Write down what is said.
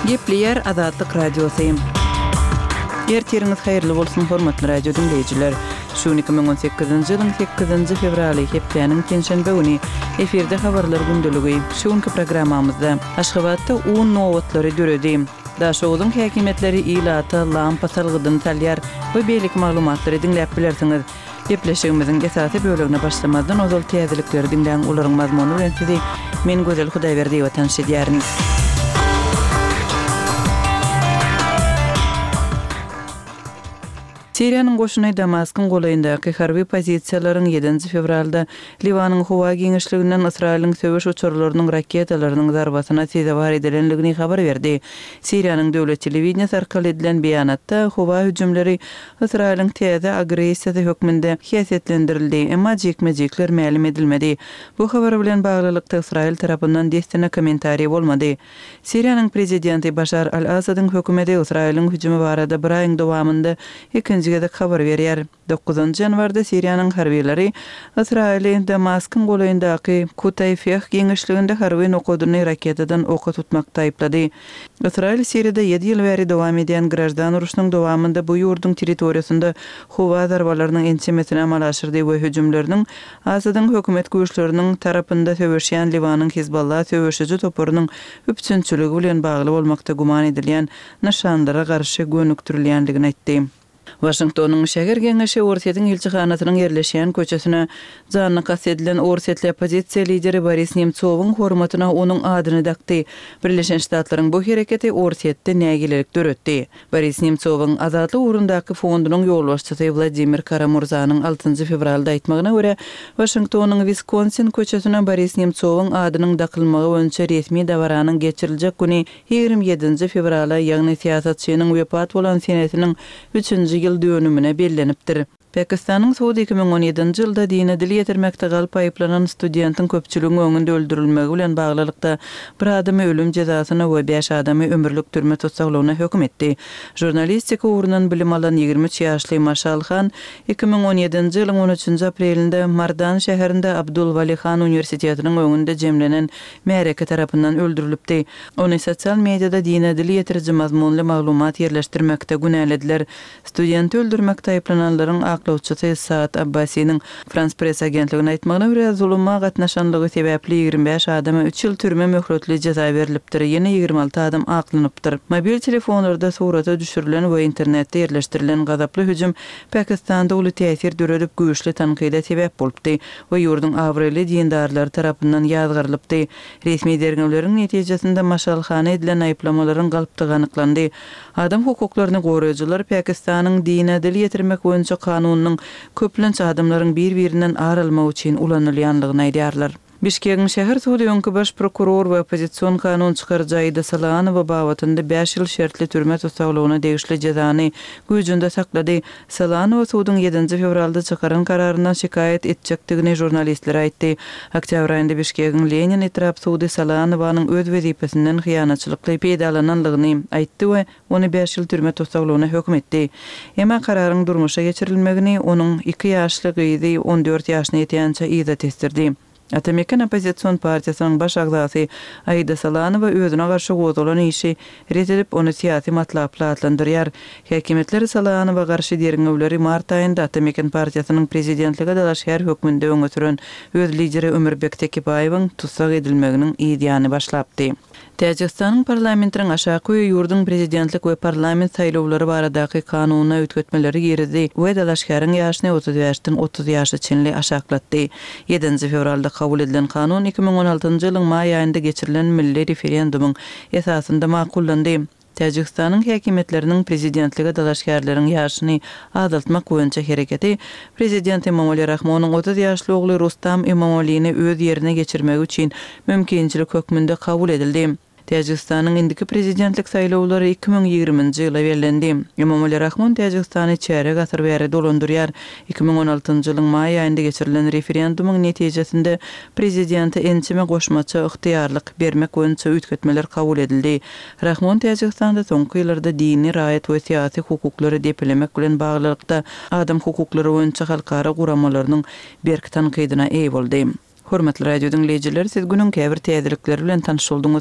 Gepleýär Azatlyk Radiosy. Ertiriňiz haýyrly bolsun, hormatly radio diňleýjiler! Şu gün 2018-nji ýylyň sekizinji fewraly, hepdäniň penşenbe güni. Efirde Habarlar gündeligi. Şu günki programmamyzda, Aşgabatda un nobatlary döredi. Daşoguzyň häkimiýetleri ilata lampa salgydyny salýar we beýleki maglumatlary diňläp bilersiňiz. Gepleşigimiziň esasy bölegine başlamazdan ozal täzelikleri diňläň, olaryň mazmuny bilen sizi men Gözel Hudaýberdiýewa tanyş edýärin. Siriýanyň goşuny Damaskyň golaýyndaky harby pozisiýalaryň ýedinji fewralda Liwanyň howa giňişliginden Ysraýylyň söweş uçarlarynyň raketalarynyň zarbasyna sezewar edilendigini habar berdi. Siriýanyň döwlet telewideniýesi arkaly edilen beýanatda howa hüjümleri Ysraýylyň täze agressiýasy hökmünde häsiýetlendirildi, emma jikme-jikler mälim edilmedi. Bu habar bilen baglylykda Ysraýyl tarapyndan dessine kommentariý bolmady. Siriýanyň prezidenti Başar al-Asadyň hökümeti Ysraýylyň hüjümi barada bir aýyň dowamynda ikinji gezek habar berýär. Dokuzynjy ýanwarda Siriýanyň harbylary Ysraýyly Damaskyň golaýyndaky Kutaýfeh giňişliginde harby nokadyny raketadan oka tutmakda aýyplady. Ysraýyl Siriýada ýedi ýyl bäri dowam edýän graždan urşunyň dowamynda bu ýurduň territoriýasynda howa zarbalarynyň ençemesini amala aşyrdy we hüjümleriniň Asadyň hökümet güýçleriniň tarapynda söweşýän Liwanyň Hizballah söweşiji toparynyň üpjünçiligi bilen bagly bolmakda güman edilýän nyşanlara garşy gönükdirilýändigini aýtdy. Waşingtonyň şäher geňeşi Orsýetiň ilçihanasynyň ýerleşýän köçesine janyna kast edilen orsýetli oppozisiýa lideri Boris Nemtsowyň hormatyna onuň adyny dakdy. Birleşen Ştatlaryň bu hereketi Orsýetde nägilelik döretdi. Boris Nemtsowyň Azatlyk ugrundaky fondunyň ýolbaşçysy Wladimir Kara-Murzanyň altynjy fewralda aýtmagyna görä, Waşingtonyň Wiskonsin köçesine Boris Nemtsowyň adynyň dakylmagy boýunça resmi dabaranyň geçiriljek güni 27-nji fewrala, ýagny syýasatçynyň wepat bolan senesiniň üçünji ýyl dönümine bellenipdir. Pakistanyň sudy 2017-nji ýylda dine dil ýetirmekde galp aýyplanan studentiň köpçüligiň öňünde öldürilmegi bilen baglylykda bir adamy ölüm jezasyna we bäş adamy ömürlik türme tussaglygyna höküm etdi. Žurnalistika ugrundan bilim alan 23 ýaşly Maşal Han 2017-nji ýylyň on üçünji aprelinde Mardan şäherinde Abdul Wali Han uniwersitetiniň öňünde jemlenen märeke tarapyndan öldürilipdi. Ony sosial mediada dine dil ýetiriji mazmunly maglumat ýerleşdirmekde günälediler. Studenti öldürmekde aýyplananlaryň aklawçysy Saad Abbasiniň Frans Press agentligine aýtmagyna görä, zuluma gatnaşanlygy sebäpli 25 adama üç ýyl türme möhletli jeza berlipdir, ýene 26 adam aklanypdyr. Mobil telefonlarda surata düşürilen we internetde ýerleşdirilen gazaply hüjüm Pakistanda uly täsir döredip, güýçli tankyda sebäp bolupdy we ýurduň abraýly dindarlary tarapyndan ýazgarylypdy. Resmi derňewleriň netijesinde maşgalhana edilen aýyplamalaryň galpdygy anyklandy. Adam hukuklaryny goraýjylar Pakistanyň dine dil ýetirmek boýunça kanunynyň köplenç adamlaryň bir-birinden ar almak üçin ulanylýanlygyny aýdýarlar. Bişkegiň şäher sudy öňki baş prokuror we oppozision kanun çykaryjy Aida Salanowa babatynda bäş ýyl şertli türme tussaglygyna degişli jezany güýjünde saklady. Salanowa suduň ýedinji fewralda çykaran kararyndan şikaýat etjekdigini žurnalistlere aýtdy. Oktýabr aýynda Bişkegiň Lenin etrap sudy Salanowanyň öz wezipesinden hyýanatçylykly peýdalananlygyny aýtdy we ony bäş ýyl türme tussaglygyna höküm etdi. Emma kararyň durmuşa geçirilmegini onuň iki ýaşly gyzy on dört ýaşyna ýetýänçä yza tesdirdi. Ata-Mekan oppozision partiýasynyň baş agzasy Aida Salanowa özüne garşy gozgalan işi ret edip, ony syýasy matlaply atlandyrýar. Häkimiýetler Salanowa garşy derňewleri mart aýynda Ata-Mekan partiýasynyň prezidentlige dalaşgär hökmünde öňe süren öz lideri Ömürbek Tekebaýewiň tussag edilmeginiň yz ýany başlapdy. Täjigistanyň parlamentiniň aşaky öýi ýurduň prezidentlik we parlament saýlawlary baradaky kanunyna üýtgetmeleri girizdi we dalaşgäriň ýaşyny 35-den 30 ýaşa çenli aşaklatdy. Ýedinji fewralda kabul edilen kanun 2016-njy ýylyň maý aýynda geçirilen milli referendumyň esasynda makullandy. Täjigistanyň häkimiýetleriniň prezidentlige dalaşgärleriň ýaşyny azaltmak boýunça hereketi prezident Emomali Rahmonyň 30 ýaşly ogly Rustam Emomalini öz ýerine geçirmegi üçin mümkinçilik hökmünde kabul edildi. Täjigistanyň indiki prezidentlik saýlawlary 2020-nji ýyla bellendi. Emomali Rahmon Täjigistany çärýek asyr bäri dolandyrýar. 2016-njy ýylyň maý aýynda geçirilen referendumyň netijesinde prezidente ençeme goşmaça ygtyýarlyk bermek boýunça üýtgetmeler kabul edildi. Rahmon Täjigistanda soňky ýyllarda dini, raýat we syýasy hukuklary depelemek bilen baglylykda adam hukuklary boýunça halkara guramalarynyň berk tankydyna eýe boldy. Hormatly radio diňleýjiler, siz günüň käbir täzelikleri bilen tanyş bolduňyz.